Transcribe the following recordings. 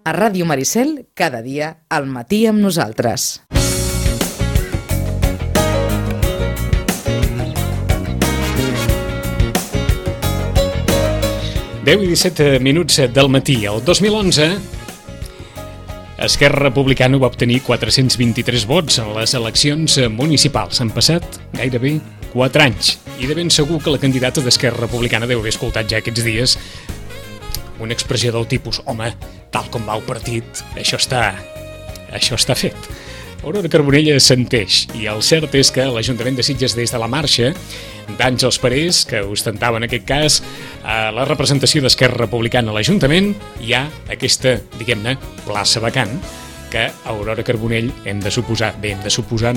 A Ràdio Maricel, cada dia al matí amb nosaltres. Deu i 17 minuts del matí. El 2011, Esquerra Republicana va obtenir 423 vots en les eleccions municipals. Han passat gairebé 4 anys. I de ben segur que la candidata d'Esquerra Republicana deu haver escoltat ja aquests dies una expressió del tipus: home, tal com va el partit, això està fet. Aurora Carbonell assenteix, i el cert és que l'Ajuntament de Sitges, des de la marxa d'Àngels Parés, que ostentava en aquest cas la representació d'Esquerra Republicana a l'Ajuntament, hi ha aquesta, diguem-ne, plaça vacant que Aurora Carbonell hem de suposar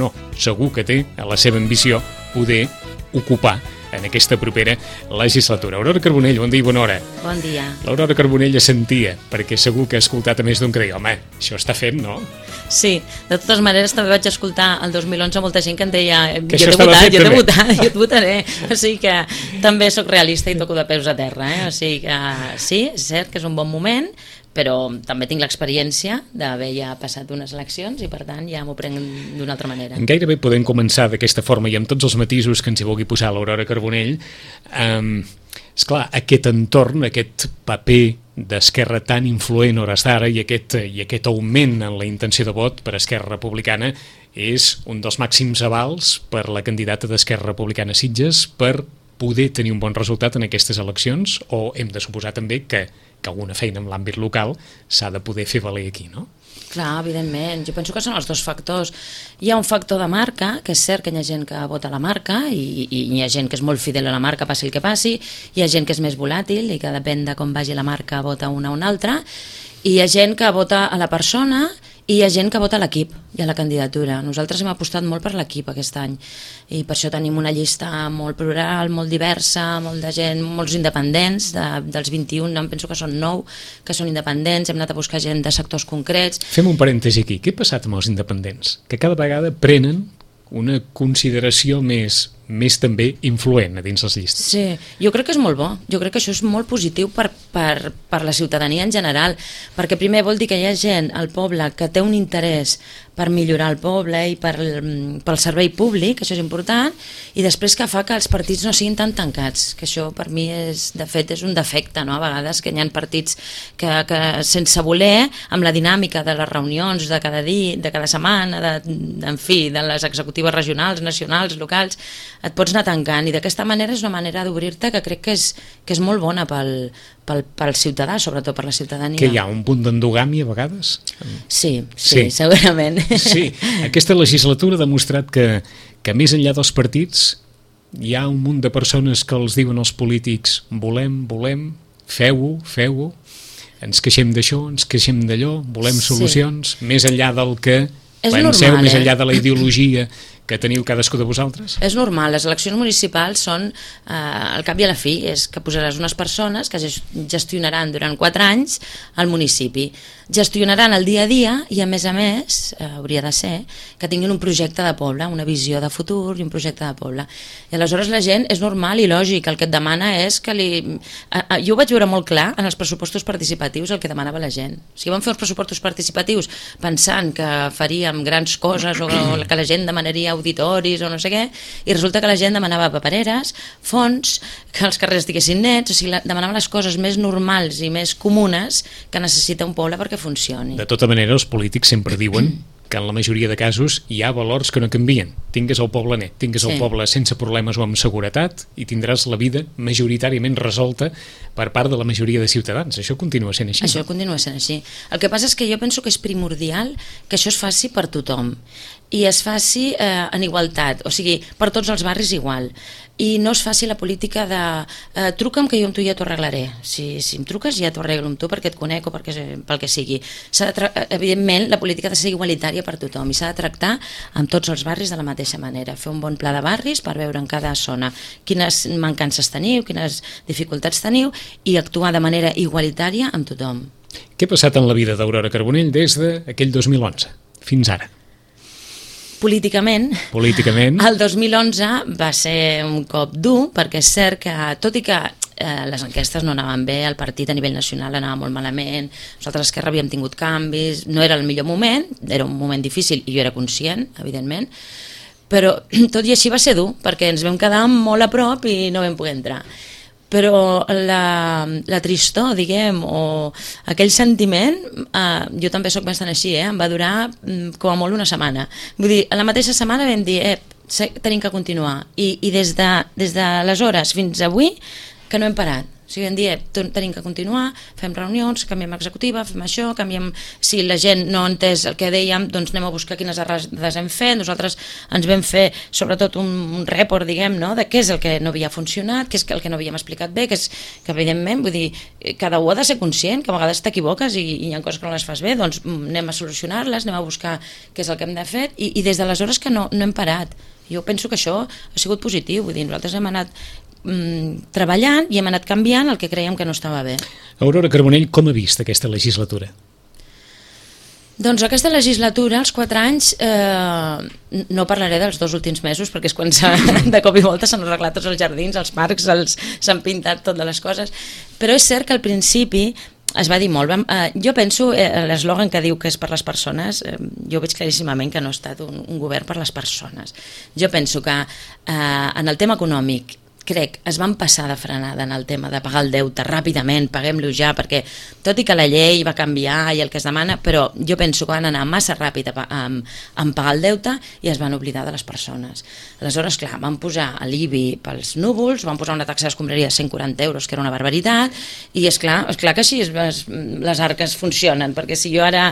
no, segur que té a la seva ambició poder ocupar en aquesta propera legislatura. Aurora Carbonell, bon dia i bona hora. Bon dia. L'Aurora Carbonell assentia, perquè segur que ha escoltat a més d'un que deia: home, això està fet, no? Sí, de totes maneres també vaig escoltar el 2011 molta gent que em deia: que jo et votaré, o sigui que també sóc realista i toco de peus a terra, o sigui que sí, és cert que és un bon moment, però també tinc l'experiència d'haver ja passat unes eleccions i per tant ja m'ho prenc d'una altra manera. Gairebé podem començar d'aquesta forma i amb tots els matisos que ens hi vulgui posar l'Aurora Carbonell. Esclar, aquest entorn, aquest paper d'Esquerra tan influent hores d'ara i aquest augment en la intenció de vot per Esquerra Republicana és un dels màxims avals per la candidata d'Esquerra Republicana a Sitges per poder tenir un bon resultat en aquestes eleccions, o hem de suposar també que alguna feina en l'àmbit local s'ha de poder fer valer aquí, no? Clar, evidentment. Jo penso que són els dos factors. Hi ha un factor de marca, que és cert que hi ha gent que vota la marca i hi ha gent que és molt fidel a la marca, passi el que passi, hi ha gent que és més volàtil i que depèn de com vagi la marca vota una o una altra, i hi ha gent que vota a la persona i hi ha gent que vota a l'equip i a la candidatura. Nosaltres hem apostat molt per l'equip aquest any i per això tenim una llista molt plural, molt diversa, molt de gent, molts independents, dels 21 em penso que són 9 que són independents, hem anat a buscar gent de sectors concrets. Fem un parèntesi aquí, què ha passat amb els independents? Que cada vegada prenen una consideració més també influent a dins les llistes. Sí, jo crec que és molt bo, jo crec que això és molt positiu per la ciutadania en general, perquè primer vol dir que hi ha gent al poble que té un interès per millorar el poble i pel servei públic, això és important, i després que fa que els partits no siguin tan tancats, que això per mi de fet és un defecte, no? A vegades que hi ha partits que sense voler, amb la dinàmica de les reunions de cada setmana, en fi, de les executives regionals, nacionals, locals, et pots anar tancant, i d'aquesta manera és una manera d'obrir-te que crec que és molt bona pel ciutadà, sobretot per la ciutadania. Que hi ha un punt d'endogàmia a vegades? Sí, segurament. Sí, aquesta legislatura ha demostrat que més enllà dels partits hi ha un munt de persones que els diuen als polítics: volem, feu-ho, ens queixem d'això, ens queixem d'allò, volem solucions, més enllà del que penseu, més enllà de la ideologia que teniu cadascú de vosaltres? És normal, les eleccions municipals són, al cap i a la fi, és que posaràs unes persones que gestionaran durant 4 anys el municipi, gestionaran el dia a dia i a més, hauria de ser que tinguin un projecte de poble, una visió de futur i un projecte de poble. I aleshores la gent, és normal i lògic, el que et demana és que jo ho vaig veure molt clar en els pressupostos participatius, el que demanava la gent. Si vam fer els pressupostos participatius pensant que faríem grans coses o que la gent demanaria auditoris o no sé què, i resulta que la gent demanava papereres, fons, que els carrers estiguessin nets, o sigui, demanava les coses més normals i més comunes que necessita un poble perquè funcioni. De tota manera, els polítics sempre diuen que en la majoria de casos hi ha valors que no canvien. Tingues el poble net, tingues el poble sense problemes o amb seguretat, i tindràs la vida majoritàriament resolta per part de la majoria de ciutadans. Això continua sent així. Això continua sent així. El que passa és que jo penso que és primordial que això es faci per tothom i es faci en igualtat, o sigui, per tots els barris igual, i no es faci la política de truca'm que jo amb tu ja t'ho arreglaré, si em truques ja t'ho arreglo amb tu perquè et conec o pel que sigui. Evidentment la política ha de ser igualitària per tothom i s'ha de tractar amb tots els barris de la mateixa manera, fer un bon pla de barris per veure en cada zona quines mancances teniu, quines dificultats teniu, i actuar de manera igualitària amb tothom. Què ha passat en la vida d'Aurora Carbonell des d'aquell 2011 fins ara? Políticament, el 2011 va ser un cop dur, perquè és cert que, tot i que les enquestes no anaven bé, el partit a nivell nacional anava molt malament, nosaltres a Esquerra havíem tingut canvis, no era el millor moment, era un moment difícil i jo era conscient, evidentment, però tot i així va ser dur, perquè ens vam quedar molt a prop i no vam poder entrar. Però la tristor, diguem, o aquell sentiment, jo també sóc bastant així, em va durar com a molt una setmana. Vull dir, a la mateixa setmana vam dir, tenim que continuar. I des d'aleshores fins avui que no hem parat. O sigui, vam dir, tenim que continuar, fem reunions, canviem executiva, fem això, canviem... Si la gent no ha entès el que dèiem, doncs anem a buscar quines errades hem fet. Nosaltres ens vam fer, sobretot, un report, diguem, no?, de què és el que no havia funcionat, què és el que no havíem explicat bé, que evidentment, vull dir, cada un ha de ser conscient, que a vegades t'equivoques i hi ha coses que no les fas bé, doncs anem a solucionar-les, anem a buscar què és el que hem de fer, i des d'aleshores que no hem parat. Jo penso que això ha sigut positiu, vull dir, nosaltres hem anat treballant i hem anat canviant el que creiem que no estava bé. Aurora Carbonell, com ha vist aquesta legislatura? Doncs aquesta legislatura, els 4 anys, no parlaré dels 2 últims mesos, perquè és quan de cop i volta s'han arreglat tots els jardins, els parcs, s'han pintat totes les coses, però és cert que al principi es va dir molt. Jo penso, l'eslògan que diu que és per les persones, jo veig claríssimament que no ha estat un govern per les persones. Jo penso que en el tema econòmic, crec, es van passar de frenada en el tema de pagar el deute ràpidament, paguem-lo ja, perquè tot i que la llei va canviar i el que es demana, però jo penso que van anar massa ràpid en pagar el deute i es van oblidar de les persones. Aleshores, clar, van posar l'IBI pels núvols, van posar una taxa d'escombraria de 140 euros, que era una barbaritat, i és clar que així les arques funcionen, perquè si jo ara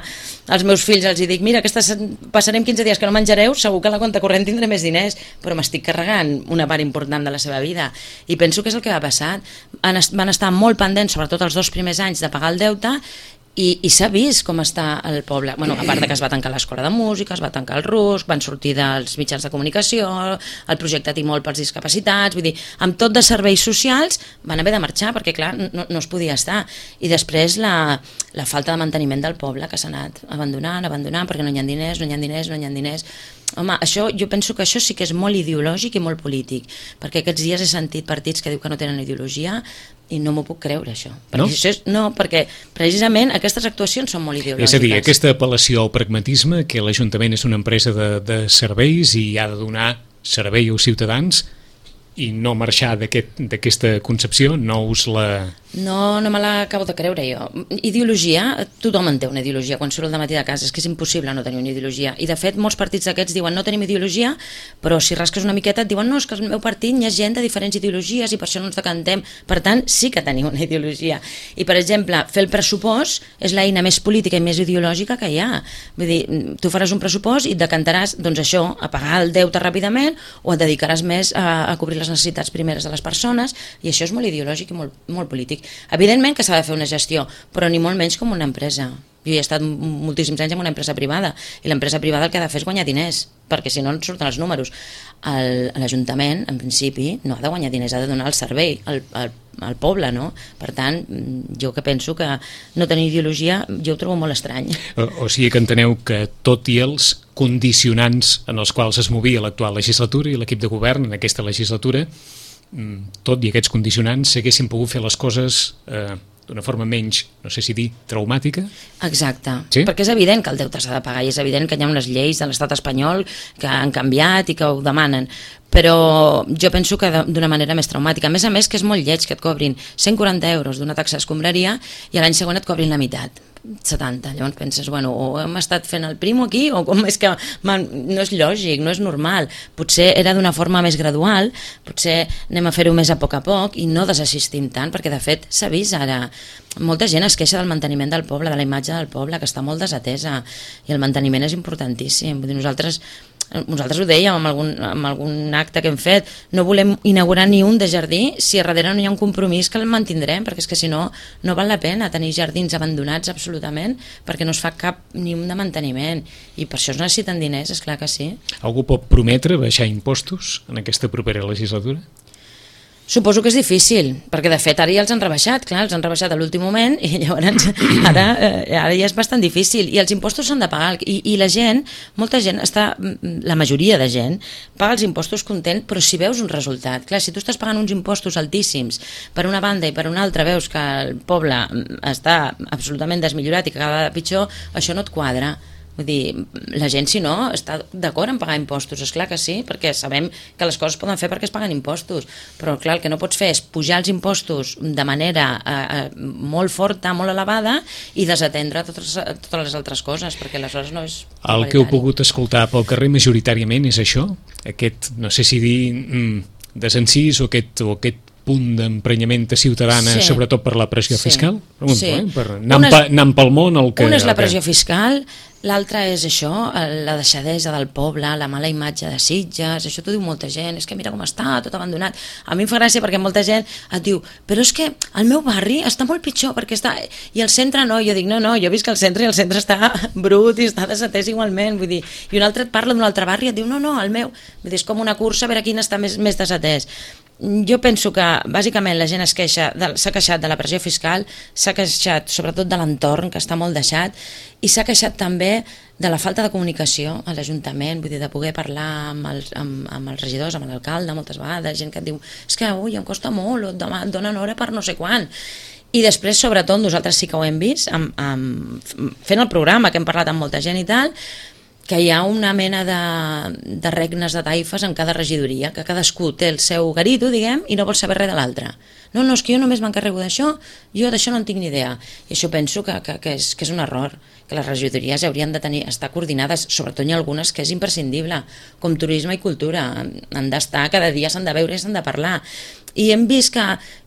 als meus fills els dic, mira, passarem 15 dies que no menjareu, segur que a la compte corrent tindré més diners, però m'estic carregant una part important de la seva vida. I penso que és el que va passar. Van estar molt pendents, sobretot els 2 primers anys, de pagar el deute, i s'ha vist com està el poble. Bueno, a part de que es va tancar l'escola de música, es va tancar el RUSC, van sortir dels mitjans de comunicació, el projecte Timol pels discapacitats, vull dir, amb tot de serveis socials van haver de marxar, perquè clar, no es podia estar. I després la falta de manteniment del poble, que s'ha anat abandonant, perquè no hi ha diners. Home, jo penso que això sí que és molt ideològic i molt polític, perquè aquests dies he sentit partits que diu que no tenen ideologia i no m'ho puc creure, això. Perquè precisament aquestes actuacions són molt ideològiques. És a dir, aquesta apel·lació al pragmatisme, que l'Ajuntament és una empresa de serveis i ha de donar servei als ciutadans, i no marxar d'aquesta concepció, no us la... No me l'acabo de creure jo. Ideologia, tothom en té una ideologia quan surt al matí de casa, és que és impossible no tenir una ideologia. I de fet molts partits d'aquests diuen no tenim ideologia, però si rasques una miqueta et diuen no, és que al meu partit hi ha gent de diferents ideologies i per això no ens decantem. Per tant, sí que tenim una ideologia. I per exemple, fer el pressupost és l'eina més política i més ideològica que hi ha. Vull dir, tu faràs un pressupost i et decantaràs, doncs això, a pagar el deute ràpidament o et dedicaràs més a cobrir les necessitats primeres de les persones, i això és molt ideològic i molt polític. Evidentment que s'ha de fer una gestió, però ni molt menys com una empresa. Jo he estat moltíssims anys en una empresa privada, i l'empresa privada el que ha de fer és guanyar diners, perquè si no surten els números. L'Ajuntament, en principi, no ha de guanyar diners, ha de donar el servei al poble, no? Per tant, jo que penso que no tenir ideologia, jo ho trobo molt estrany. O sigui que enteneu que tot i els condicionants en els quals es movia l'actual legislatura i l'equip de govern en aquesta legislatura, tot i aquests condicionants s'haguessin pogut fer les coses d'una forma menys, no sé si dir, traumàtica? Exacte, sí? Perquè és evident que el deute s'ha de pagar i és evident que hi ha unes lleis de l'estat espanyol que han canviat i que ho demanen, però jo penso que d'una manera més traumàtica. A més que és molt lleig que et cobrin 140 euros d'una taxa d'escombraria i l'any següent et cobrin la meitat, 70. Llavors penses, bueno, o hem estat fent el primo aquí o com és que no és lògic, no és normal. Potser era d'una forma més gradual, potser anem a fer-ho més a poc i no desassistim tant, perquè de fet s'ha vist ara. Molta gent es queixa del manteniment del poble, de la imatge del poble, que està molt desatesa, i el manteniment és importantíssim. Vull dir, nosaltres ho dèiem en algun acte que hem fet, no volem inaugurar ni un de jardí si a darrere no hi ha un compromís que el mantindrem, perquè és que si no val la pena tenir jardins abandonats absolutament, perquè no es fa cap ni un de manteniment, i per això es necessiten diners, és clar que sí. Algú pot prometre baixar impostos en aquesta propera legislatura? Suposo que és difícil, perquè de fet ara ja els han rebaixat, clar, els han rebaixat a l'últim moment i llavors ara ja és bastant difícil i els impostos s'han de pagar i la gent, molta gent la majoria de gent paga els impostos content, però si veus un resultat, clar, si tu estàs pagant uns impostos altíssims per una banda i per una altra veus que el poble està absolutament desmillorat i que cada vegada pitjor, això no et quadra. Vull dir, la gent, si no, està d'acord en pagar impostos, és clar que sí, perquè sabem que les coses poden fer perquè es paguen impostos, però clar, el que no pots fer és pujar els impostos de manera molt forta, molt elevada, i desatendre totes les altres coses, perquè aleshores no és... El que heu pogut escoltar pel carrer majoritàriament és això? Aquest, no sé si dir, desencís o aquest punt d'emprenyament ciutadana, sobretot per la pressió fiscal? Pregunto, per anar pel món... Una és la pressió fiscal, l'altra és això, la deixadesa del poble, la mala imatge de Sitges, això t'ho diu molta gent, és que mira com està, tot abandonat. A mi em fa gràcia perquè molta gent et diu, però és que el meu barri està molt pitjor, perquè està... I el centre no, jo dic, no, jo visc al centre i el centre està brut i està desatès igualment, vull dir, i un altre et parla d'un altre barri i et diu, no, el meu, vull dir, és com una cursa a veure quin està més desatès. Jo penso que bàsicament la gent s'ha queixat de la pressió fiscal, s'ha queixat sobretot de l'entorn, que està molt deixat, i s'ha queixat també de la falta de comunicació a l'Ajuntament, vull dir, de poder parlar amb els regidors, amb l'alcalde moltes vegades, gent que et diu, és que ui, em costa molt, o et donen hora per no sé quan. I després, sobretot, nosaltres sí que ho hem vist, fent el programa, que hem parlat amb molta gent i tal, que hi ha una mena de regnes de taifes en cada regidoria, que cadascú té el seu garito, diguem, i no vol saber res de l'altre. No, és que jo només m'encarrego d'això, jo d'això no en tinc ni idea. I això penso que és un error, que les regidories haurien de estar coordinades, sobretot hi ha algunes que és imprescindible, com turisme i cultura, han d'estar, cada dia s'han de veure i s'han de parlar. I hem vist que,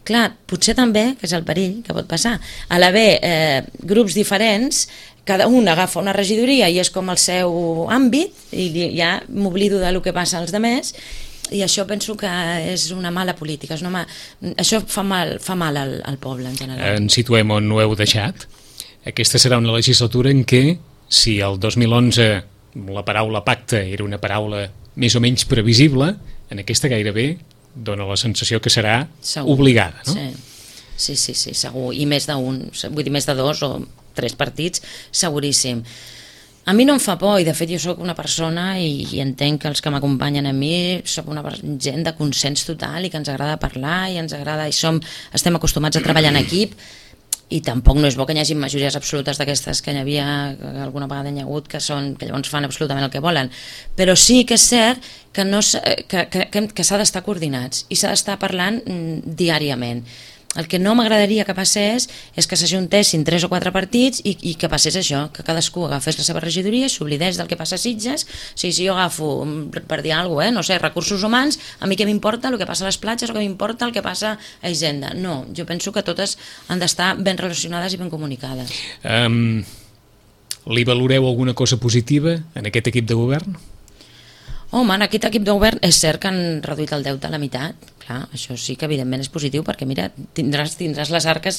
clar, potser també, que és el perill que pot passar, a l'haver grups diferents, cada un agafa una regidoria i és com el seu àmbit i ja m'oblido del que passa als altres i això penso que és una mala política, això fa mal al poble en general. Ens situem on ho heu deixat. Aquesta serà una legislatura en què, si el 2011 la paraula pacte era una paraula més o menys previsible, en aquesta gairebé dona la sensació que serà obligada, no? Sí, segur, i més d'un, vull dir més de 2 o 3 partits, seguríssim. A mi no em fa por, i de fet jo sóc una persona i entenc que els que m'acompanyen a mi sóc una gent de consens total i que ens agrada parlar i ens agrada estem acostumats a treballar en equip i tampoc no és bo que hi hagi majories absolutes d'aquestes que hi havia, que alguna vegada hi ha hagut, que llavors fan absolutament el que volen. Però sí que és cert que s'ha d'estar coordinats i s'ha d'estar parlant diàriament. El que no m'agradaria que passés és que s'ajuntessin 3 o 4 partits i que passés això, que cadascú agafés la seva regidoria i s'oblidés del que passa a Sitges. Si jo agafo, per dir alguna cosa, no sé, recursos humans, a mi què m'importa el que passa a les platges o què m'importa el que passa a Hisenda? No, jo penso que totes han d'estar ben relacionades i ben comunicades. Li valoreu alguna cosa positiva en aquest equip de govern? Home, en aquest equip de govern és cert que han reduït el deute a la meitat. Clar, això sí que evidentment és positiu perquè mira, tindràs les arques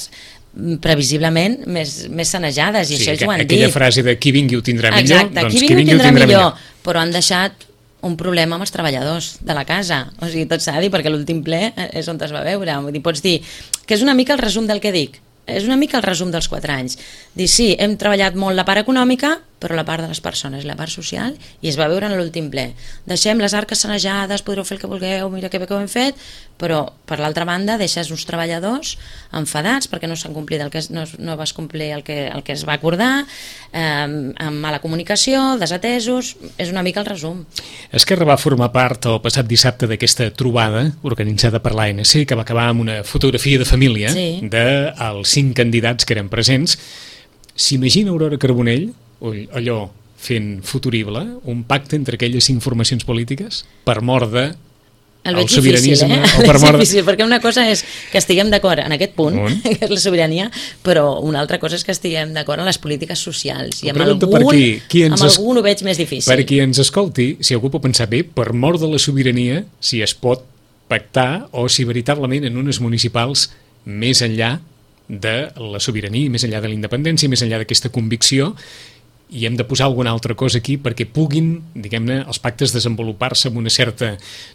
previsiblement més sanejades i això ells ho han dit. Aquella frase de qui vingui ho tindrà millor. Exacte, qui vingui ho tindrà millor, però han deixat un problema amb els treballadors de la casa, o sigui, tot s'ha de dir perquè l'últim ple és on es va veure, vull dir, pots dir que és una mica el resum del que dic, és una mica el resum dels 4 anys, dir sí, hem treballat molt la part econòmica però la part de les persones, la part social, i es va veure en l'últim ple. Deixem les arques sanejades, podreu fer el que vulgueu, mira que bé que ho hem fet, però per l'altra banda deixes uns treballadors enfadats perquè no s'han complit no vas complir el que es va acordar, amb mala comunicació, desatesos, és una mica el resum. Esquerra va formar part el passat dissabte d'aquesta trobada organitzada per l'ANC que va acabar amb una fotografia de família dels 5 candidats que eren presents. S'imagina Aurora Carbonell allò fent futurible, un pacte entre aquelles 5 formacions polítiques per mort de el sobiranisme o per mort... És difícil, perquè una cosa és que estiguem d'acord en aquest punt, que és la sobirania, però una altra cosa és que estiguem d'acord en les polítiques socials, i amb algun ho veig més difícil. Per qui ens escolti, si algú pot pensar bé, per mort de la sobirania, si es pot pactar o si veritablement en unes municipals més enllà de la sobirania, més enllà de la independència, més enllà d'aquesta convicció, i hem de posar alguna altra cosa aquí perquè puguin, diguem-ne, els pactes desenvolupar-se amb una certa,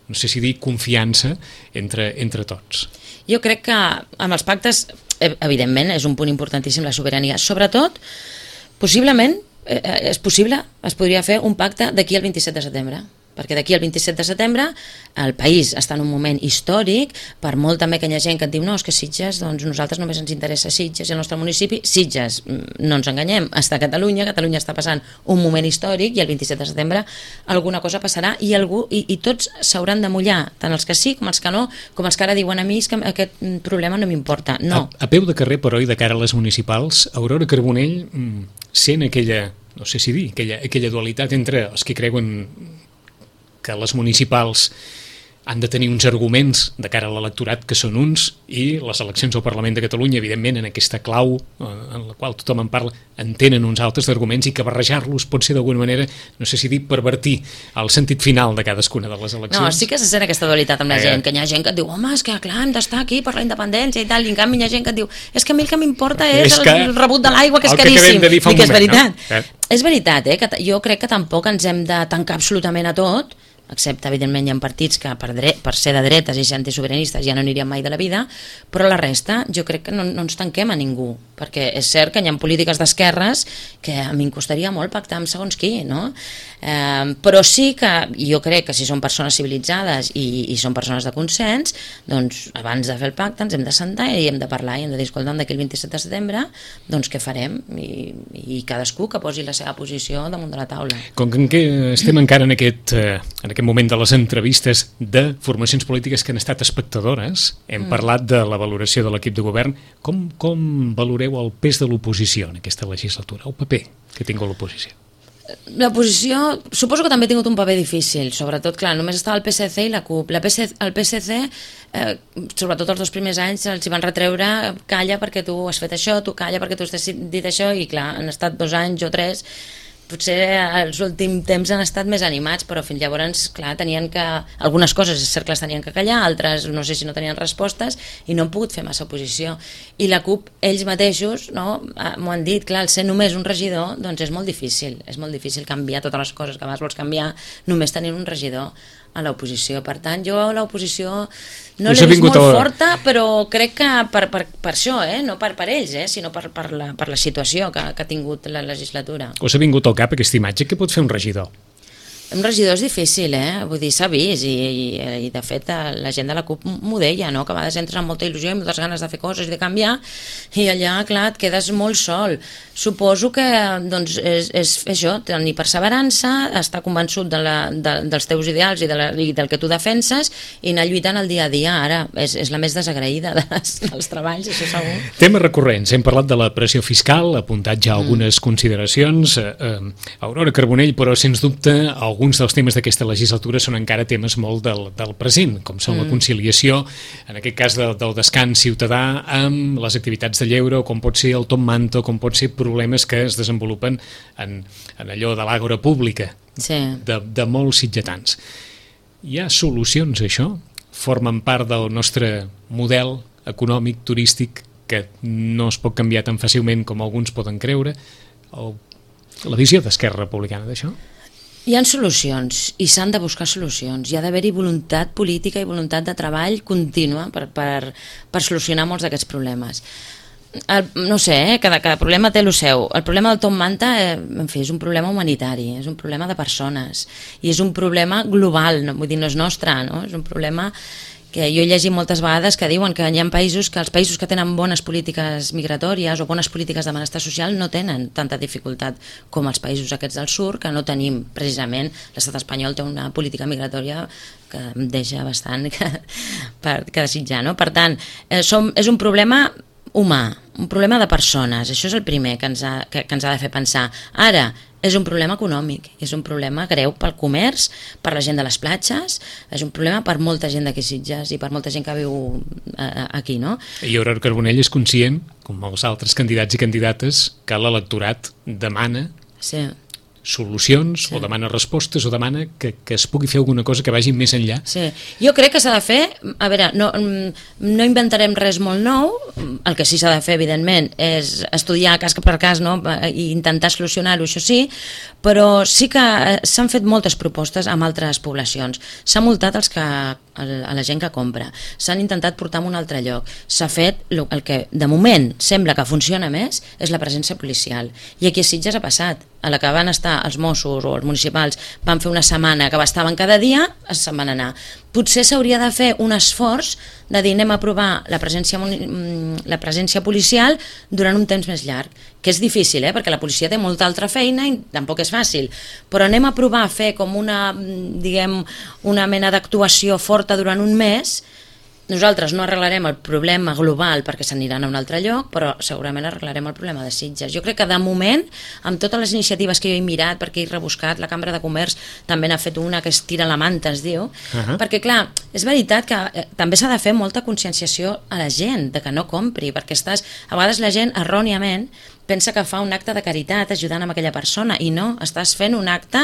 no sé si dir, confiança entre tots. Jo crec que amb els pactes, evidentment, és un punt importantíssim la sobirania. Sobretot, possiblement, es podria fer un pacte d'aquí al 27 de setembre, perquè d'aquí al 27 de setembre el país està en un moment històric, per molt també que hi ha gent que et diu no, és que Sitges, doncs nosaltres només ens interessa Sitges i el nostre municipi. Sitges, no ens enganyem, està a Catalunya està passant un moment històric i el 27 de setembre alguna cosa passarà i tots s'hauran de mullar, tant els que sí com els que no, com els que ara diuen a mi que aquest problema no m'importa. No. A peu de carrer, però, i de cara a les municipals, Aurora Carbonell sent aquella, no sé si dir, aquella dualitat entre els que creuen que les municipals han de tenir uns arguments de cara a l'electorat que són uns, i les eleccions al Parlament de Catalunya, evidentment, en aquesta clau en la qual tothom en parla, en tenen uns altres arguments, i que barrejar-los pot ser d'alguna manera, no sé si dir, pervertir el sentit final de cadascuna de les eleccions. No, sí que se sent aquesta dualitat amb la gent, que hi ha gent que et diu home, és que clar, hem d'estar aquí per la independència i tal, i en canvi hi ha gent que et diu és que a mi el que m'importa és el rebut de l'aigua, que és caríssim, i que és veritat. És veritat, que jo crec que tampoc ens hem de tancar absolutament a tot, excepte, evidentment, hi ha partits que per ser de dretes i ser antisobiranistes ja no anirien mai de la vida, però la resta jo crec que no ens tanquem a ningú, perquè és cert que hi ha polítiques d'esquerres que a mi em costaria molt pactar amb segons qui, no? Però sí que jo crec que si són persones civilitzades i són persones de consens, doncs abans de fer el pacte ens hem de sentar i hem de parlar i hem de dir, escolta'm, d'aquí el 27 de setembre doncs què farem, i cadascú que posi la seva posició damunt de la taula. Com que estem encara en aquest moment de les entrevistes de formacions polítiques que han estat espectadores, hem parlat de la valoració de l'equip de govern. Com valoreu el pes de l'oposició en aquesta legislatura, el paper que tingut l'oposició? L'oposició suposo que també ha tingut un paper difícil, sobretot, clar, només estava el PSC i la CUP. El PSC, sobretot els 2 primers anys, els hi van retreure calla perquè tu has fet això, tu calla perquè tu has dit això, i clar, han estat 2 anys o 3, potser els últims temps han estat més animats, però fins llavors, clar, tenien que... Algunes coses és cert que les tenien que callar, altres no sé si no tenien respostes, i no han pogut fer massa oposició. I la CUP, ells mateixos, no, m'ho han dit, clar, el ser només un regidor, doncs és molt difícil canviar totes les coses que abans vols canviar només tenint un regidor a l'oposició. Per tant, jo a l'oposició no l'he vist molt forta, però crec que per això, no per ells, sinó per la situació que ha tingut la legislatura. Us ha vingut al cap aquesta imatge? Què pot fer un regidor? Un regidor és difícil, vull dir, s'ha vist, i de fet la gent de la CUP m'ho deia, no? Que a vegades entres amb molta il·lusió i moltes ganes de fer coses i de canviar, i allà, clar, et quedes molt sol. Suposo que doncs, és això, tenir perseverança, estar convençut dels teus ideals i del que tu defenses, i anar lluitant el dia a dia. Ara és la més desagraïda dels treballs, això segur. Temes recurrents, hem parlat de la pressió fiscal, apuntat ja algunes consideracions. Aurora Carbonell, però sens dubte alguns dels temes d'aquesta legislatura són encara temes molt del present, com són la conciliació, en aquest cas del descans ciutadà, amb les activitats de lleure, com pot ser el top manta, com pot ser problemes que es desenvolupen en allò de l'àgora pública, de molts sitgetans. Hi ha solucions a això? Formen part del nostre model econòmic, turístic, que no es pot canviar tan fàcilment com alguns poden creure? La visió d'Esquerra Republicana d'això? Hi ha solucions i s'han de buscar solucions. Hi ha d'haver-hi voluntat política i voluntat de treball contínua per solucionar molts d'aquests problemes. No sé, cada problema té el seu. El problema del top manta, en fi, és un problema humanitari, és un problema de persones i és un problema global, vull dir, no és nostre, no? És un problema que jo he llegit moltes vegades que diuen que hi ha països que els països que tenen bones polítiques migratòries o bones polítiques de benestar social no tenen tanta dificultat com els països aquests del sud, que no tenim precisament. L'estat espanyol té una política migratòria que em deixa bastant que desitjar, no? Per tant, és un problema humà, un problema de persones. Això és el primer que ens ha de fer pensar. Ara, és un problema econòmic, és un problema greu pel comerç, per la gent de les platges, és un problema per molta gent d'aquí Sitges i per molta gent que viu aquí, no? I Aurora Carbonell és conscient, com els altres candidats i candidates, que l'electorat demana solucions, o demana respostes, o demana que es pugui fer alguna cosa que vagi més enllà. Sí, jo crec que s'ha de fer, a veure, no inventarem res molt nou, el que sí s'ha de fer, evidentment, és estudiar cas per cas, no? I intentar solucionar-ho, això sí, però sí que s'han fet moltes propostes amb altres poblacions. S'ha multat a la gent que compra, s'han intentat portar a un altre lloc, s'ha fet el que de moment sembla que funciona més, és la presència policial, i aquí a Sitges ha passat. A la que van estar els Mossos o els municipals van fer una setmana que estaven cada dia, se'n van anar. Potser s'hauria de fer un esforç de dir anem a provar la presència policial durant un temps més llarg, que és difícil, perquè la policia té molta altra feina i tampoc és fàcil, però anem a provar a fer com una mena d'actuació forta durant un mes. Nosaltres no arreglarem el problema global perquè s'aniran a un altre lloc, però segurament arreglarem el problema de Sitges. Jo crec que de moment, amb totes les iniciatives que jo he mirat, perquè he rebuscat, la Cambra de Comerç també n'ha fet una que es tira la manta, es diu, perquè clar, és veritat que també s'ha de fer molta conscienciació a la gent de que no compri, perquè a vegades la gent erròniament pensa que fa un acte de caritat ajudant amb aquella persona, i no, estàs fent un acte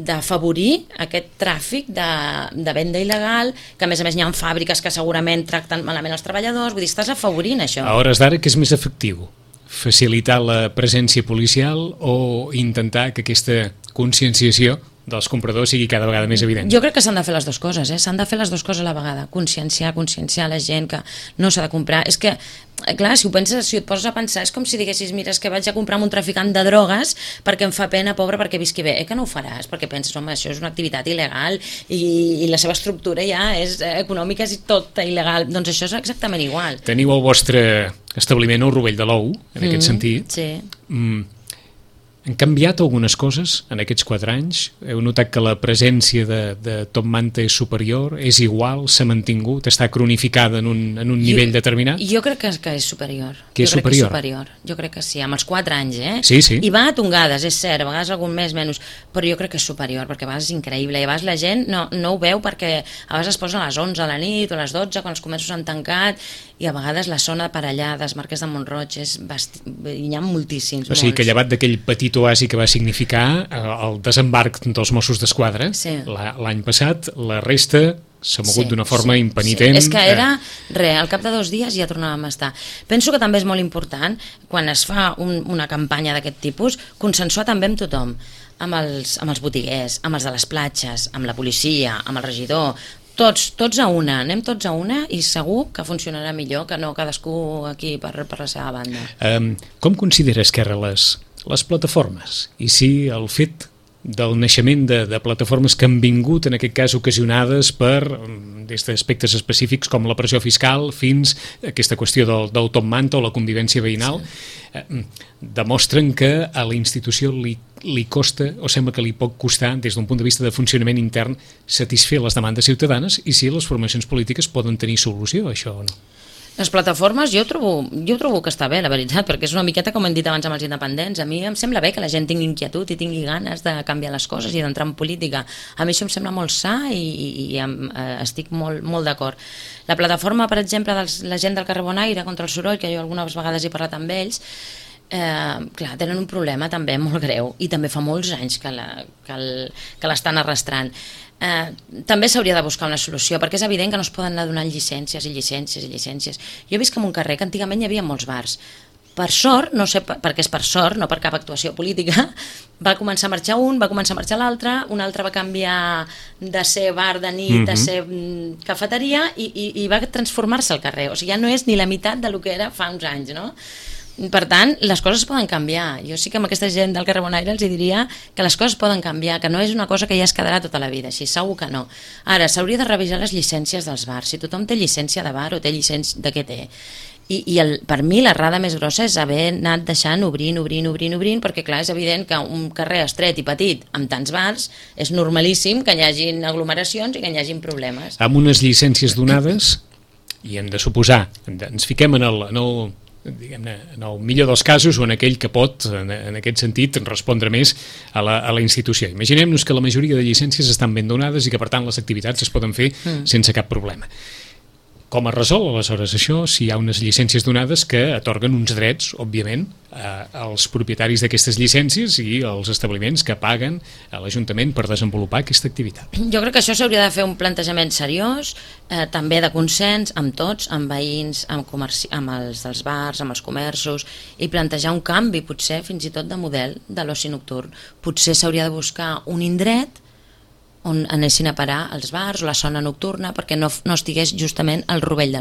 d'afavorir aquest tràfic de venda il·legal, que a més n'hi ha fàbriques que segurament tracten malament els treballadors, vull dir, estàs afavorint això. A hores d'ara, què és més efectiu? Facilitar la presència policial o intentar que aquesta conscienciació dels compradors sigui cada vegada més evident? Jo crec que s'han de fer les dues coses, s'han de fer les dues coses a la vegada, conscienciar la gent que no s'ha de comprar. És que, clar, si et poses a pensar, és com si diguessis, mira, és que vaig a comprar amb un traficant de drogues perquè em fa pena, pobre, perquè visqui bé. Que no ho faràs, perquè penses, home, això és una activitat il·legal i la seva estructura ja és econòmica, és tot il·legal. Doncs això és exactament igual. Teniu el vostre establiment al Rovell de l'Ou, en aquest sentit. Sí. Han canviat algunes coses en aquests 4 anys? Heu notat que la presència de top manta és superior, és igual, s'ha mantingut, està cronificada en un nivell determinat? Jo crec que és superior. Que és superior? Jo crec que sí, amb els 4 anys, Sí, sí. I va a tongades, és cert, a vegades algun mes menys, però jo crec que és superior, perquè a vegades és increïble, i a vegades la gent no ho veu perquè a vegades es posen a les 11 a la nit o a les 12 quan els comerços han tancat, i a vegades la zona per allà dels Marquès de Mont-roig hi ha moltíssims. O sigui que llevat d'aquell petit oasi que va significar el desembarc dels Mossos d'Esquadra l'any passat, la resta s'ha mogut d'una forma impenitent. És que era al cap de 2 dies ja tornàvem a estar. Penso que també és molt important, quan es fa una campanya d'aquest tipus, consensuar també amb tothom, amb els botiguers, amb els de les platges, amb la policia, amb el regidor, tots a una, anem tots a una, i segur que funcionarà millor que no cadascú aquí per la seva banda. Com considera Esquerra les plataformes? I si el fet del naixement de plataformes que han vingut, en aquest cas ocasionades per des d'aspectes específics com la pressió fiscal fins a aquesta qüestió del top manta o la convivència veïnal, demostren que a la institució li costa, o sembla que li pot costar, des d'un punt de vista de funcionament intern, satisfer les demandes ciutadanes, i si les formacions polítiques poden tenir solució a això o no? Les plataformes jo trobo que està bé, la veritat, perquè és una miqueta com hem dit abans amb els independents. A mi em sembla bé que la gent tingui inquietud i tingui ganes de canviar les coses i d'entrar en política. A mi això em sembla molt sa i estic molt d'acord. La plataforma, per exemple, de la gent del carrer Bonaire contra el soroll, que jo algunes vegades he parlat amb ells, clar, tenen un problema també molt greu, i també fa molts anys que l'estan arrastrant. També s'hauria de buscar una solució, perquè és evident que no es poden anar donant llicències i llicències i llicències. Jo he vist que en un carrer que antigament hi havia molts bars, per sort, no sé per què és per sort, no per cap actuació política, va començar a marxar un, va començar a marxar l'altre, un altre va canviar de ser bar de nit, de ser cafeteria, i va transformar-se el carrer. O sigui, ja no és ni la meitat del que era fa uns anys, no? Per tant, les coses poden canviar. Jo sí que amb aquesta gent del carrer Bonaire els diria que les coses poden canviar, que no és una cosa que ja es quedarà tota la vida, així segur que no. Ara, s'hauria de revisar les llicències dels bars. Si tothom té llicència de bar o té llicència de què té. I per mi l'errada més grossa és haver anat deixant obrint, perquè clar, és evident que un carrer estret i petit amb tants bars és normalíssim que hi hagin aglomeracions i que hi hagin problemes. Amb unes llicències donades, i hem de suposar, ens fiquem en el millor dels casos o en aquell que pot, en aquest sentit, respondre més a la institució. Imaginem-nos que la majoria de llicències estan ben donades i que, per tant, les activitats es poden fer sense cap problema. Com es resol, aleshores, això, si hi ha unes llicències donades que atorguen uns drets, òbviament, als propietaris d'aquestes llicències i als establiments que paguen a l'Ajuntament per desenvolupar aquesta activitat? Jo crec que això s'hauria de fer un plantejament seriós, també de consens amb tots, amb veïns, amb els dels bars, amb els comerços, i plantejar un canvi, potser fins i tot de model de l'oci nocturn. Potser s'hauria de buscar un indret on anessin a parar els bars o la zona nocturna perquè no estigués justament al rovell de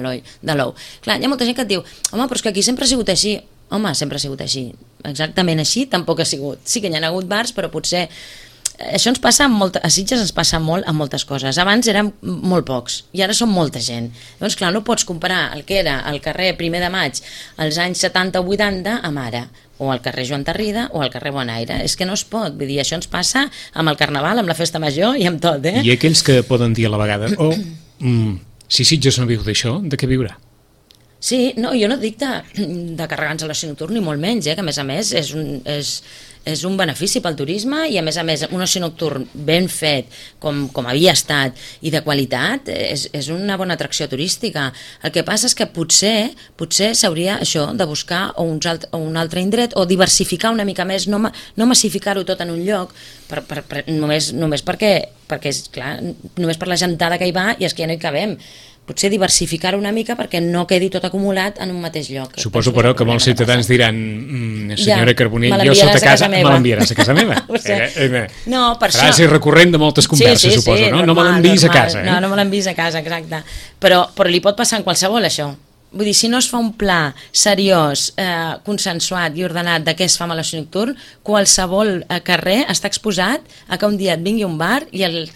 l'ou. Clar, hi ha molta gent que et diu, home, però és que aquí sempre ha sigut així. Home, sempre ha sigut així. Exactament així tampoc ha sigut. Sí que hi ha hagut bars, però potser... Això ens passa a Sitges, ens passa molt amb moltes coses. Abans eren molt pocs i ara són molta gent. Llavors, clar, no pots comparar el que era al carrer 1 de Maig als anys 70 o 80 amb ara, o al carrer Joan Tarrida o al carrer Bonaire. És que no es pot. Vull dir, això ens passa amb el Carnaval, amb la Festa Major i amb tot, eh? I aquells que poden dir a la vegada, si Sitges no viu d'això, de què viurà? Sí, no, jo no dic de carregar-nos a l'oci nocturn ni molt menys, que a més és un benefici pel turisme i a més un oci nocturn ben fet com havia estat i de qualitat és una bona atracció turística. El que passa és que potser s'hauria això de buscar un altre indret o diversificar una mica més, no massificar-ho tot en un lloc només perquè és clar, només per la gentada que hi va i és que ja no hi cabem. Potser diversificar una mica perquè no quedi tot acumulat en un mateix lloc. Suposo, però, que molts ciutadans diran senyora Carbonell, jo sota casa me l'enviaràs a casa meva. No, per això. Frase recurrent de moltes converses, suposo, no? No me l'enviïs a casa. No me l'enviïs a casa, exacte. Però li pot passar en qualsevol, això. Vull dir, si no es fa un pla seriós, consensuat i ordenat de què es fa amb l'oci nocturn, qualsevol carrer està exposat a que un dia et vingui un bar i el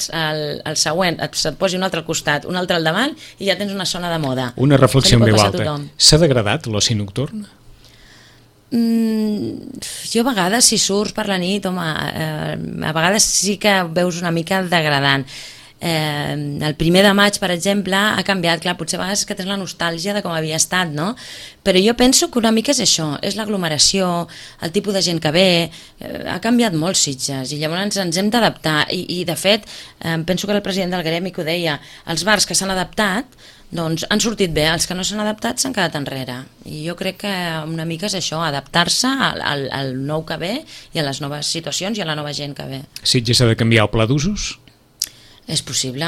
següent et posi un altre al costat, un altre al davant i ja tens una zona de moda. Una reflexió en veu alta. S'ha degradat l'oci nocturn? Jo a vegades, si surts per la nit, home, a vegades sí que veus una mica degradant. El 1 de maig, per exemple, ha canviat, clar, potser a vegades que tens la nostàlgia de com havia estat, no? Però jo penso que una mica és això, és l'aglomeració, el tipus de gent que ve, ha canviat molt Sitges i llavors ens hem d'adaptar i de fet, penso que el president del gremi que ho deia, els bars que s'han adaptat doncs han sortit bé, els que no s'han adaptat s'han quedat enrere i jo crec que una mica és això, adaptar-se al nou que ve i a les noves situacions i a la nova gent que ve. Sitges ha de canviar el pla d'usos? És possible,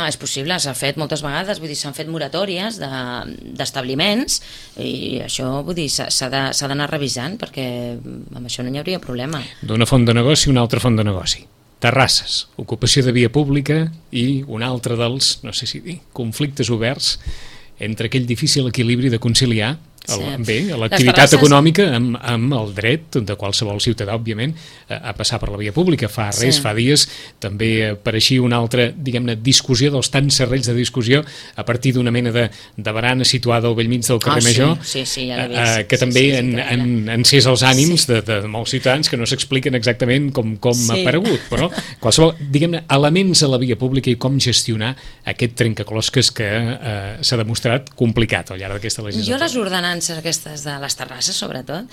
s'ha fet moltes vegades, vull dir, s'han fet moratòries d'establiments i això, vull dir, s'ha d'anar revisant perquè amb això no hi hauria problema. D'una font de negoci a una altra font de negoci. Terrasses, ocupació de via pública i un altre dels, no sé si dir, conflictes oberts entre aquell difícil equilibri de conciliar l'activitat econòmica amb el dret de qualsevol ciutadà, òbviament, a passar per la via pública. Fa dies també apareixia una altra, diguem-ne, discussió dels tants serrells de discussió a partir d'una mena de barana situada al bell mig del carrer Major, ja que també han encès els ànims de molts ciutadans que no s'expliquen exactament com ha aparegut, però qualsevol, diguem-ne, elements a la via pública i com gestionar aquest trencaclosques que s'ha demostrat complicat al llarg d'aquesta legislatura. Jo les ordenances aquestes de les terrasses, sobretot.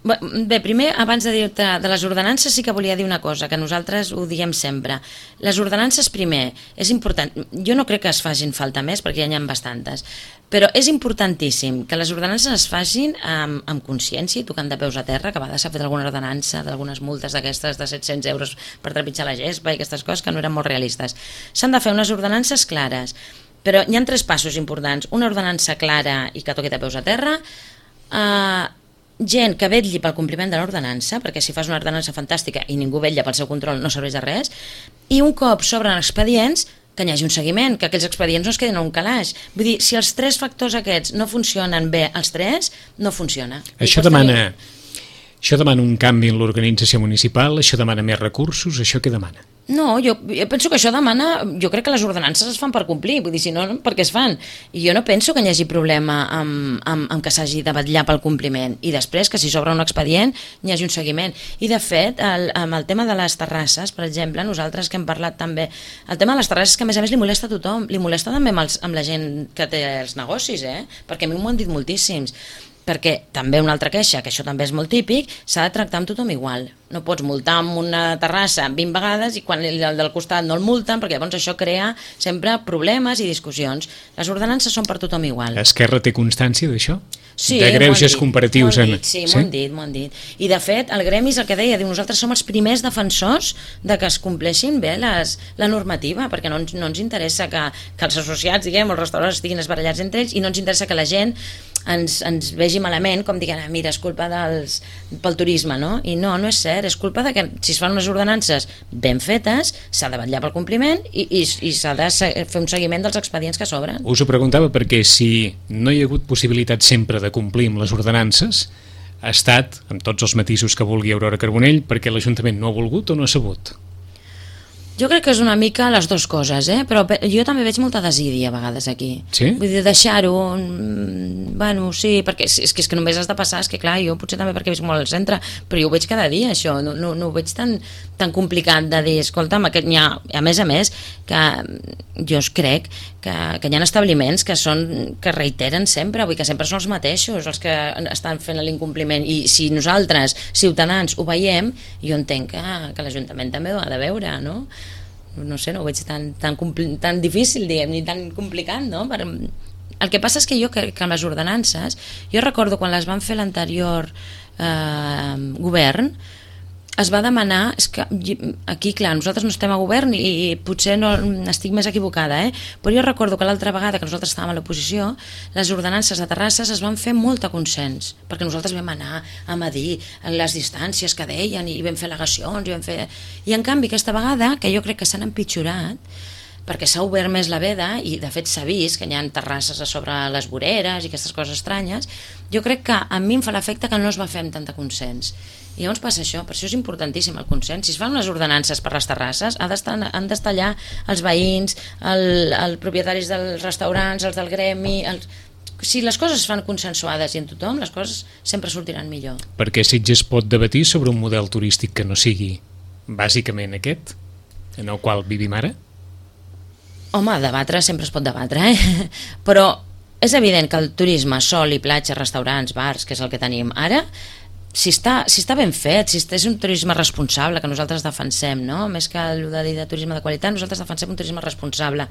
Bé, primer, abans de dir-te de les ordenances, sí que volia dir una cosa, que nosaltres ho diem sempre. Les ordenances, primer, és important. Jo no crec que es facin falta més, perquè ja n'hi ha bastantes, però és importantíssim que les ordenances es facin amb consciència i tocant de peus a terra, que a vegades s'ha fet alguna ordenança d'algunes multes d'aquestes de 700 euros per trepitjar la gespa i aquestes coses que no eren molt realistes. S'han de fer unes ordenances clares, però hi ha 3 passos importants. Una ordenança clara i que toqui de peus a terra, gent que vetlli pel compliment de l'ordenança, perquè si fas una ordenança fantàstica i ningú vetlla pel seu control no serveix de res, i un cop s'obren expedients, que hi hagi un seguiment, que aquells expedients no es quedin a un calaix. Vull dir, si els 3 factors aquests no funcionen bé, els 3, no funciona. Això demana un canvi en l'organització municipal, això demana més recursos, això què demana? No, jo penso que això demana... Jo crec que les ordenances es fan per complir, vull dir, si no, per què es fan? I jo no penso que hi hagi problema amb que s'hagi de vetllar pel compliment i després que si s'obre un expedient hi hagi un seguiment. I de fet, amb el tema de les terrasses, per exemple, nosaltres que hem parlat també, el tema de les terrasses que a més li molesta a tothom, li molesta també amb la gent que té els negocis, perquè a mi m'ho han dit moltíssims. Perquè també una altra queixa, que això també és molt típic, s'ha de tractar amb tothom igual. no pots multar amb una terrassa 20 vegades i quan el del costat no el multen, perquè llavors això crea sempre problemes i discussions. Les ordenances són per tothom igual. Esquerra té constància d'això? Sí, de greuges comparatius? Sí, m'ho han dit. I de fet, el gremi és el que deia, diu, nosaltres som els primers defensors de que es compleixin bé la normativa, perquè no ens interessa que els associats, diguem, els restaurants estiguin esbarallats entre ells, i no ens interessa que la gent ens vegi malament, com diguem, mira, és culpa pel turisme, no? I no és cert, és culpa de que si es fan unes ordenances ben fetes, s'ha de vetllar pel compliment i s'ha de fer un seguiment dels expedients que s'obren. Us ho preguntava perquè si no hi ha hagut possibilitat sempre de complir amb les ordenances, ha estat, amb tots els matisos que vulgui Aurora Carbonell, perquè l'Ajuntament no ha volgut o no ha sabut? Jo crec que és una mica les dues coses, però jo també veig molta desídia a vegades aquí. Sí? Vull dir, deixar-ho, bueno, sí, perquè és que només has de passar, és que clar, jo potser també perquè visc molt al centre, però jo ho veig cada dia, això, no ho veig tan complicat de dir, escolta'm, a més, que jo crec que hi ha establiments que reiteren sempre, vull dir que sempre són els mateixos els que estan fent l'incompliment, i si nosaltres, ciutadans, ho veiem, jo entenc que l'Ajuntament també ho ha de veure, no? No sé, no ho veig tan difícil, diguem, ni tan complicat, no? El que passa és que jo crec que amb les ordenances, jo recordo quan les van fer l'anterior govern, es va demanar, és que aquí clar, nosaltres no estem a govern i potser no estic més equivocada, però jo recordo que l'altra vegada que nosaltres estàvem a l'oposició, les ordenances de terrasses es van fer molt a consens, perquè nosaltres vam anar a medir les distàncies que deien i vam fer al·legacions i en canvi aquesta vegada, que jo crec que s'han empitjorat, perquè s'ha obert més la veda i de fet s'ha vist que hi ha terrasses a sobre les voreres i aquestes coses estranyes, jo crec que a mi em fa l'efecte que no es va fer amb tanta consens. I llavors passa això, per això és importantíssim el consens. Si es fan unes ordenances per les terrasses, han d'estar allà els veïns, els propietaris dels restaurants, els del gremi... Si les coses es fan consensuades i en tothom, les coses sempre sortiran millor. Perquè Sitges pot debatir sobre un model turístic que no sigui bàsicament aquest, en el qual vivim ara? Home, debatre sempre es pot debatre, però és evident que el turisme, sol i platja, restaurants, bars, que és el que tenim ara, si està ben fet, si és un turisme responsable que nosaltres defensem, no? Més que el de dir de turisme de qualitat, nosaltres defensem un turisme responsable,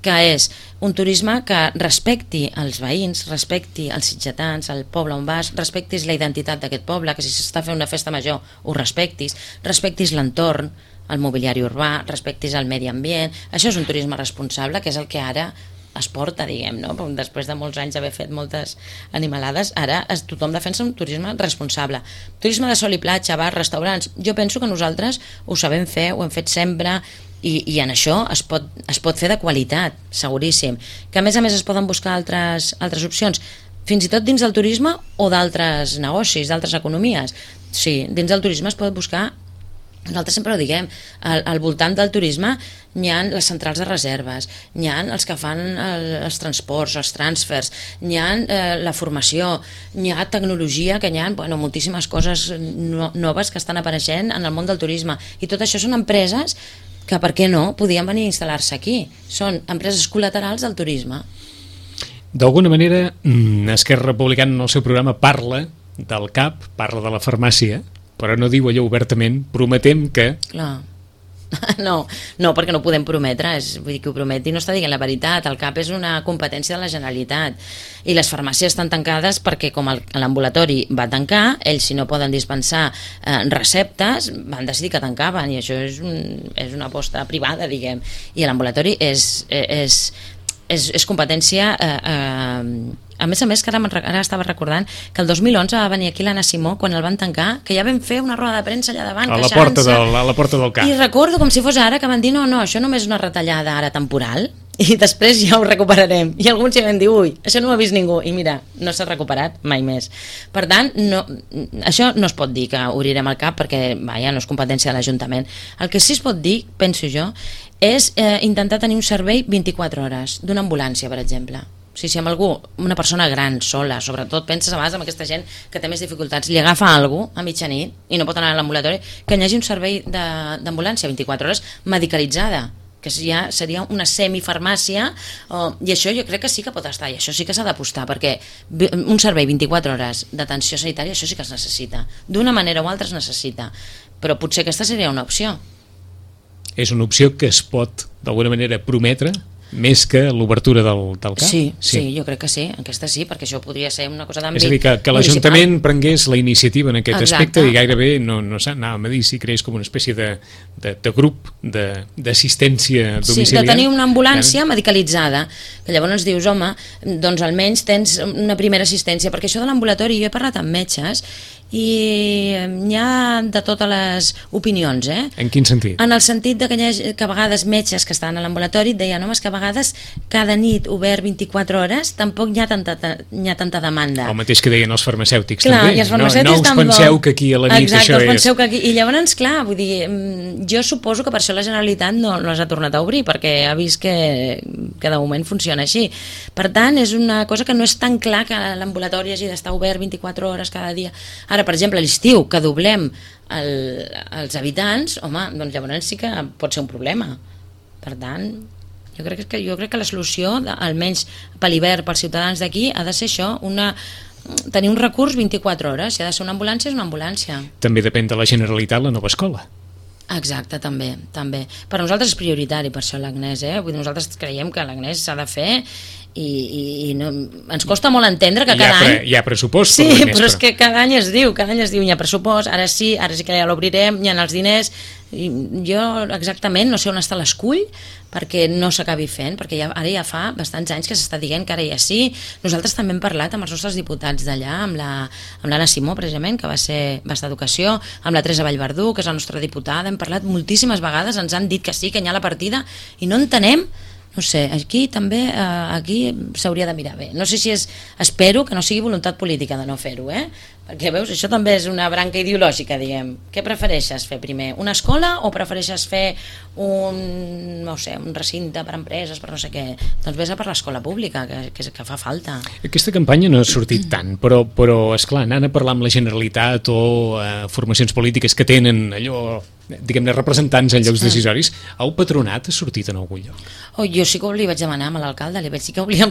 que és un turisme que respecti els veïns, respecti els sitgetans, el poble on vas, respectis la identitat d'aquest poble, que si s'està fent una festa major ho respectis l'entorn, el mobiliari urbà, respectis el medi ambient. Això és un turisme responsable, que és el que ara es porta, diguem, no? Després de molts anys d'haver fet moltes animalades, ara tothom defensa un turisme responsable. Turisme de sol i platja, bars, restaurants, jo penso que nosaltres ho sabem fer, ho hem fet sempre, i en això es pot fer de qualitat, seguríssim. Que a més es poden buscar altres opcions, fins i tot dins del turisme o d'altres negocis, d'altres economies. Sí, dins del turisme es pot buscar. Nosaltres sempre ho diguem, al voltant del turisme hi ha les centrals de reserves, hi ha els que fan els transports, els transfers, hi ha la formació, hi ha tecnologia, que hi ha moltíssimes coses noves que estan apareixent en el món del turisme, i tot això són empreses que, per què no, podien venir a instal·lar-se aquí. Són empreses col·laterals del turisme. D'alguna manera, Esquerra Republicana en el seu programa parla del CAP, parla de la farmàcia, però no diu allò obertament, prometem que... Clar. No, perquè no podem prometre, vull dir que ho prometi no està dient la veritat. El CAP és una competència de la Generalitat i les farmàcies estan tancades perquè com l'ambulatori va tancar, ells si no poden dispensar receptes van decidir que tancaven, i això és una aposta privada, diguem, i l'ambulatori és competència a més, que ara estava recordant que el 2011 va venir aquí l'Anna Simó quan el van tancar, que ja vam fer una roda de premsa allà davant, a la porta del CAP, i recordo com si fos ara que van dir no, això només és una retallada ara temporal i després ja ho recuperarem, i alguns ja van dir ui, això no ho ha vist ningú, i mira, no s'ha recuperat mai més. Per tant, això no es pot dir que obrirem el CAP perquè no és competència de l'Ajuntament. El que sí es pot dir, penso jo, és intentar tenir un servei 24 hores d'una ambulància, per exemple. Si amb algú, una persona gran, sola, sobretot penses a vegades amb aquesta gent que té més dificultats, li agafa algú a mitjanit i no pot anar a l'ambulatori, que hi hagi un servei d'ambulància 24 hores medicalitzada, que ja seria una semifarmàcia, i això jo crec que sí que pot estar, i això sí que s'ha d'apostar, perquè un servei 24 hores d'atenció sanitària, això sí que es necessita, d'una manera o altra es necessita, però potser aquesta seria una opció. És una opció que es pot, d'alguna manera, prometre més que l'obertura del CAP? Sí, jo crec que sí, aquesta sí, perquè això podria ser una cosa d'àmbit municipal. És a dir, que l'Ajuntament prengués la iniciativa en aquest aspecte i gairebé, no anàvem a dir si creés com una espècie de grup d'assistència domiciliar. Sí, de tenir una ambulància medicalitzada, que llavors dius, home, doncs almenys tens una primera assistència, perquè això de l'ambulatori, jo he parlat amb metges i n'hi ha de totes les opinions. En quin sentit? En el sentit de que a vegades metges que estan a l'ambulatori et deien, home, és que a vegades cada nit obert 24 hores tampoc hi ha tanta demanda. El mateix que deien els farmacèutics. Clar, també. I els farmacèutics no us penseu que aquí a la nit això és... Que aquí... I llavors, clar, vull dir, jo suposo que per això la Generalitat no les ha tornat a obrir, perquè ha vist que de moment funciona així. Per tant, és una cosa que no és tan clar que l'ambulatori hagi d'estar obert 24 hores cada dia. Ara, per exemple, a l'estiu, que doblem els habitants, home, doncs llavors sí que pot ser un problema. Per tant, jo crec que la solució, almenys per l'hivern, pels ciutadans d'aquí, ha de ser això, tenir un recurs 24 hores. Si ha de ser una ambulància, és una ambulància. També depèn de la Generalitat la nova escola. Exacte, també. Per nosaltres és prioritari, per això l'Agnès, Vull dir, nosaltres creiem que l'Agnès s'ha de fer i no, ens costa molt entendre que cada any... Hi ha pressupost. Sí, però és que cada any es diu, hi ha pressupost, ara sí que ja l'obrirem, hi ha els diners, i jo exactament no sé on està l'escull perquè no s'acabi fent, perquè ara ja fa bastants anys que s'està dient que ara ja sí. Nosaltres també hem parlat amb els nostres diputats d'allà, amb l'Anna Simó, precisament, que va estar d'Educació, amb la Teresa Vallverdú, que és la nostra diputada, hem parlat moltíssimes vegades, ens han dit que sí, que hi ha la partida, i no entenem. No sé, aquí també s'hauria de mirar bé. No sé si espero que no sigui voluntat política de no fer-ho, perquè veus, això també és una branca ideològica, diguem. Què prefereixes fer primer? Una escola o prefereixes fer un recinte per empreses, per no sé què? Doncs vés a per l'escola pública, que fa falta. Aquesta campanya no ha sortit tant, però esclar, anant a parlar amb la Generalitat o formacions polítiques que tenen allò, diguem-ne, representants en llocs decisoris, el patronat ha sortit en algun lloc? Jo sí que li vaig demanar a l'alcalde,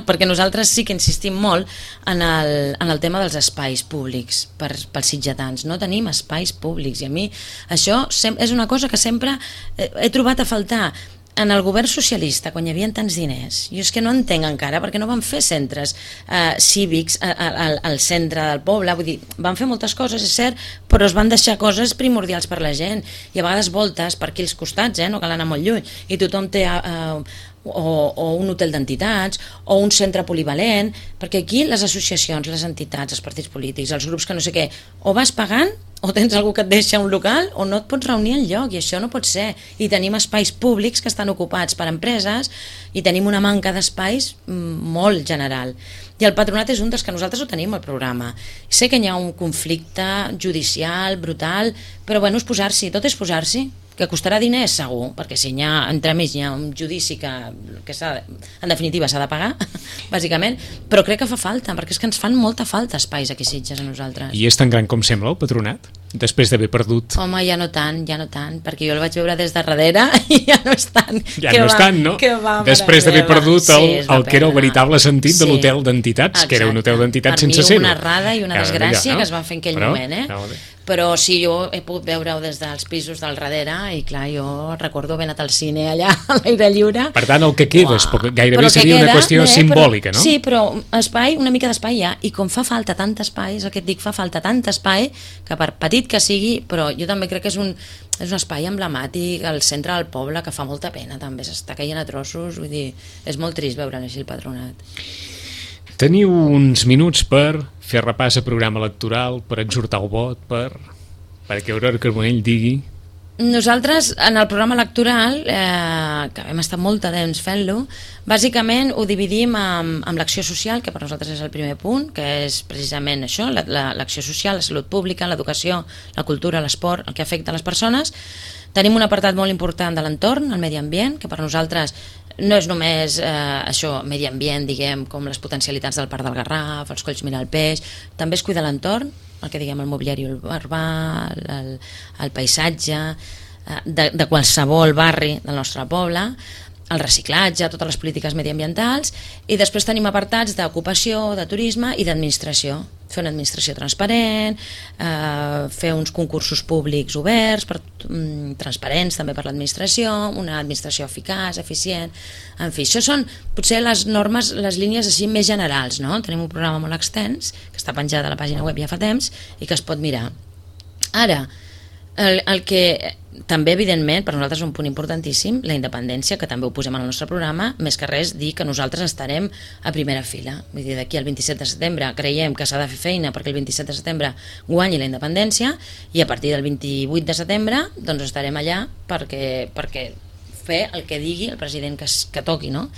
perquè nosaltres sí que insistim molt en el tema dels espais públics pels sitgetans. No tenim espais públics i a mi això és una cosa que sempre he trobat a faltar. En el govern socialista, quan hi havia tants diners, jo és que no entenc encara perquè no van fer centres cívics al centre del poble, vull dir, van fer moltes coses, és cert, però es van deixar coses primordials per la gent, i a vegades voltes per aquí als costats, no cal anar molt lluny, i tothom té o un hotel d'entitats o un centre polivalent, perquè aquí les associacions, les entitats, els partits polítics, els grups que no sé què, o vas pagant o tens algú que et deixa un local o no et pots reunir enlloc, i això no pot ser. I tenim espais públics que estan ocupats per empreses i tenim una manca d'espais molt general. I el patronat és un dels que nosaltres ho tenim al programa. Sé que hi ha un conflicte judicial brutal, però bueno, és posar-s'hi, tot és posar-s'hi. Que costarà diners, segur, perquè si entremig hi ha un judici que en definitiva s'ha de pagar, bàsicament, però crec que fa falta, perquè és que ens fan molta falta espais aquí a Sitges a nosaltres. I és tan gran com sembla el patronat? Després d'haver perdut... Home, ja no tant, perquè jo el vaig veure des de darrere i ja no és tant. Ja no és tant, no? Després d'haver perdut el que era el veritable sentit de l'hotel d'entitats, que era un hotel d'entitats sense ser-ho. Per mi una errada i una desgràcia que es va fer en aquell moment, Però sí, jo he pogut veure-ho des dels pisos del darrere i clar, jo recordo haver anat al cine allà a l'aire lliure. Per tant, el que queda gairebé seria una qüestió simbòlica, no? Sí, però una mica d'espai hi ha, i com fa falta tant espai, és el que et dic, fa falta tant espai, que per petit que sigui, però jo també crec que és un espai emblemàtic al centre del poble que fa molta pena, també s'està caient a trossos, vull dir, és molt trist veure així el patronat. Teniu uns minuts per fer repàs a programa electoral, per exhortar el vot, perquè Aurora Carbonell digui... Nosaltres, en el programa electoral, que hem estat molt de temps fent-lo, bàsicament ho dividim amb l'acció social, que per nosaltres és el primer punt, que és precisament això, l'acció social, la salut pública, l'educació, la cultura, l'esport, el que afecta les persones. Tenim un apartat molt important de l'entorn, el medi ambient, que per nosaltres no és només això, medi ambient, diguem, com les potencialitats del Parc del Garraf, els Colls Miralpeix, també es cuida l'entorn, el que diguem el mobiliari urbà, el paisatge de qualsevol barri del nostre poble, el reciclatge, totes les polítiques mediambientals, i després tenim apartats d'ocupació, de turisme i d'administració. fer una administració transparent, fer uns concursos públics oberts, transparents també per l'administració, una administració eficaç, eficient, en fi, això són potser les normes, les línies així més generals, no? Tenim un programa molt extens, que està penjat a la pàgina web ja fa temps i que es pot mirar. Ara, el que també, evidentment, per nosaltres és un punt importantíssim, la independència, que també ho posem en el nostre programa, més que res dir que nosaltres estarem a primera fila. Vull dir, d'aquí al 27 de setembre creiem que s'ha de fer feina perquè el 27 de setembre guanyi la independència i a partir del 28 de setembre doncs estarem allà perquè fer el que digui el president que toqui, no?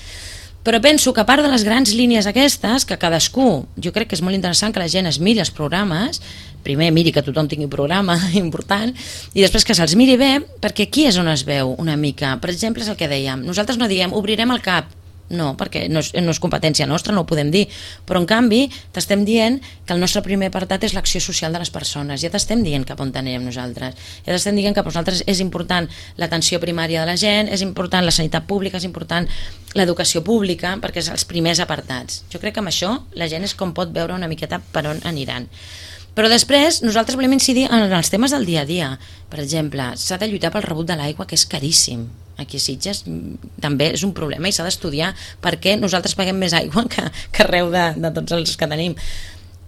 Però penso que a part de les grans línies aquestes, que cadascú, jo crec que és molt interessant que la gent es miri els programes, primer miri que tothom tingui un programa important, i després que se'ls miri bé, perquè aquí és on es veu una mica. Per exemple, és el que dèiem, nosaltres no diem obrirem el CAP, no, perquè no és competència nostra, no ho podem dir, però en canvi t'estem dient que el nostre primer apartat és l'acció social de les persones, ja t'estem dient cap on anirem nosaltres, ja t'estem dient que per nosaltres és important l'atenció primària de la gent, és important la sanitat pública, és important l'educació pública, perquè és els primers apartats. Jo crec que amb això la gent és com pot veure una miqueta per on aniran. Però després nosaltres volem incidir en els temes del dia a dia. Per exemple, s'ha de lluitar pel rebut de l'aigua, que és caríssim. Aquí a Sitges també és un problema i s'ha d'estudiar per què nosaltres paguem més aigua que arreu de tots els que tenim.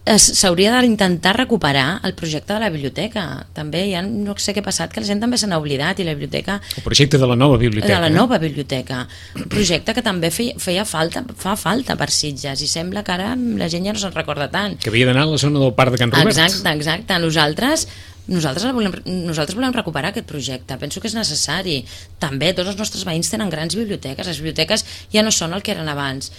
S'hauria d'intentar recuperar el projecte de la biblioteca. També ja no sé què ha passat, que la gent també se n'ha oblidat i la biblioteca... El projecte de la nova biblioteca. De la nova biblioteca. Un projecte que també fa falta per Sitges i sembla que ara la gent ja no se'n recorda tant. Que havia d'anar a la zona del Parc de Can Robert. Exacte. Nosaltres volem recuperar aquest projecte. Penso que és necessari. També tots els nostres veïns tenen grans biblioteques. Les biblioteques ja no són el que eren abans.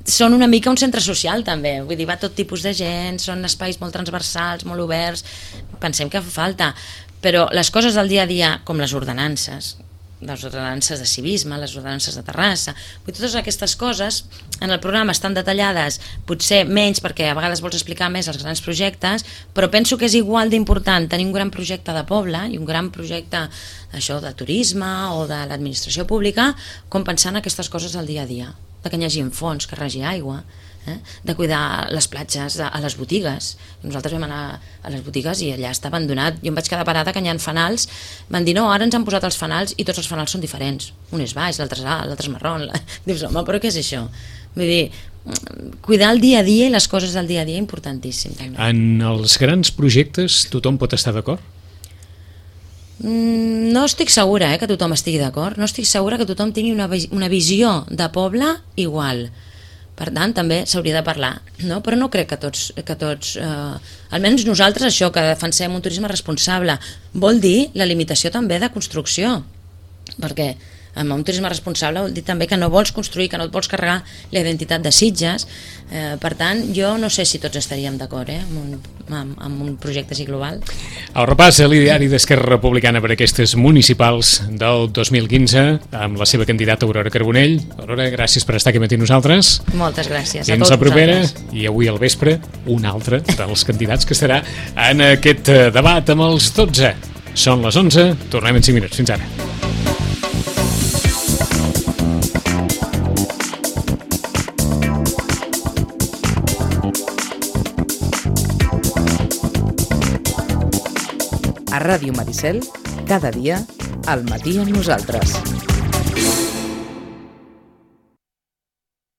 Són una mica un centre social també, vull dir, va tot tipus de gent, són espais molt transversals, molt oberts, pensem que fa falta, però les coses del dia a dia, com les ordenances de civisme, les ordenances de Terrassa, totes aquestes coses en el programa estan detallades, potser menys perquè a vegades vols explicar més els grans projectes, però penso que és igual d'important tenir un gran projecte de poble i un gran projecte això de turisme o de l'administració pública com pensar en aquestes coses del dia a dia, de que hi hagi fons, que regi aigua, de cuidar les platges a les botigues. Nosaltres vam anar a les botigues i allà està abandonat. Jo em vaig quedar parada que hi ha fanals, van dir no, ara ens han posat els fanals i tots els fanals són diferents, un és baix, l'altre és alt, l'altre és marró. Dius, home, però què és això? Vull dir, cuidar el dia a dia i les coses del dia a dia importantíssim també. En els grans projectes tothom pot estar d'acord? No estic segura que tothom estigui d'acord, no estic segura que tothom tingui una visió de poble igual. Per tant, també s'hauria de parlar, no? Però no crec que tots almenys nosaltres això, que defensem un turisme responsable, vol dir la limitació també de construcció, perquè amb un turisme responsable vol dir també que no vols construir, que no et vols carregar la identitat de Sitges. Per tant, jo no sé si tots estaríem d'acord amb un projecte així global. El repàs a l'ideari d'Esquerra Republicana per aquestes municipals del 2015 amb la seva candidata Aurora Carbonell. Aurora, gràcies per estar aquí matí nosaltres. Moltes gràcies a tots la propera vosaltres. I avui al vespre un altre dels candidats que estarà en aquest debat amb els 12. Són les 11, tornem en 5 minuts. Fins ara. A Ràdio Maricel, cada dia, al matí amb nosaltres.